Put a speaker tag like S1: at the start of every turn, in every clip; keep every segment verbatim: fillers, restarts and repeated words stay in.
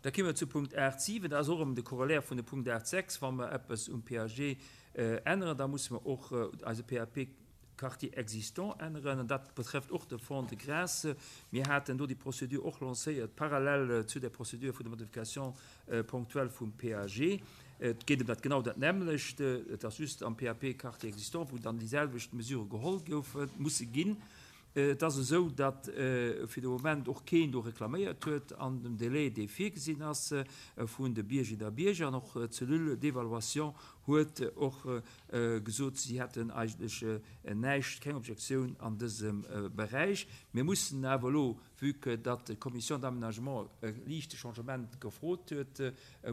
S1: Da komme mer zu Punkt aacht siwen, dat ass och erëm de Corollaire vun dem Punkt aacht sechs. Wa mer eppes um P A G änneren, da musse mer och eise P A P Quartier existant änneren, an dat betrefft och de Fonds de Grâce. Mir haten do déi Procédure och lancéiert, parallel zu der Procédure vun der Modification ponctuelle vum P A G. Et geet ëm dat genau dat nämmlecht, et ass just am P A P Quartier existant, wou dann déi selwecht Mesure geholl goufe musse ginn. Et ass esou, datt fir de Moment och keen do reklaméiert huet an dem Délai, dee virgesinn ass vun de Biergerinnen a Bierger, an och d'Cellule d'évaluation huet och gesot, si hätten eigentlech näischt, keng Objektioun an dësem Beräich. Mir mussen awer elo, vue que datt d'Commission d'aménagement e liichte Changement gefrot huet,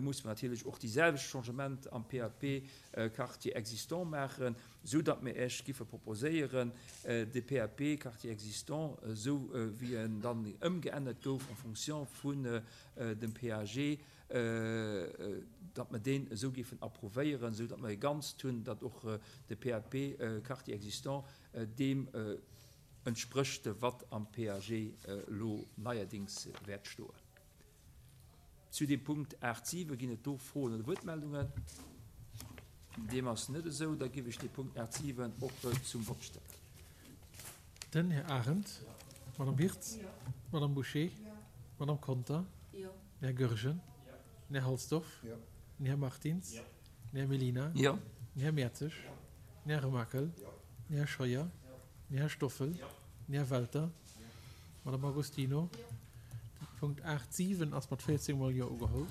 S1: musse mer natierlech och déi selwecht Changement am P A P Quartier existant maachen, esou datt mir Iech giffe proposéieren, de P A P Quartier existant, esou wéi en dann ëmgeännert gouf en fonction vun dem P A G, datt mer deen esou giffen approuvéieren, esou datt mer e Ganzt hunn, datt och de P A P Quartier existant deem entsprécht, wat am P A G elo neierdings wäert stoen. Zu dem Punkt aacht siwe ginn et do Froen oder Wuertmeldungen? Deem ass net esou, da giff ech de Punkt aacht siwen och zum Vott stellen.
S2: Den Här Arendt. D'Madame Wirtz. D'Madame Bouché. D'Madame Conter. Den Här Goergen. Den Här Halsdorf. Den Här Martins. Den Här Mellina. Den Här Mertzig. Den Här Remakel. Den Här Scheuer. Den Här Stoffel. Den Här Welter. D'Madame Agostino. De Punkt aacht siwen ass mat véierzéng Mol Jo ugeholl.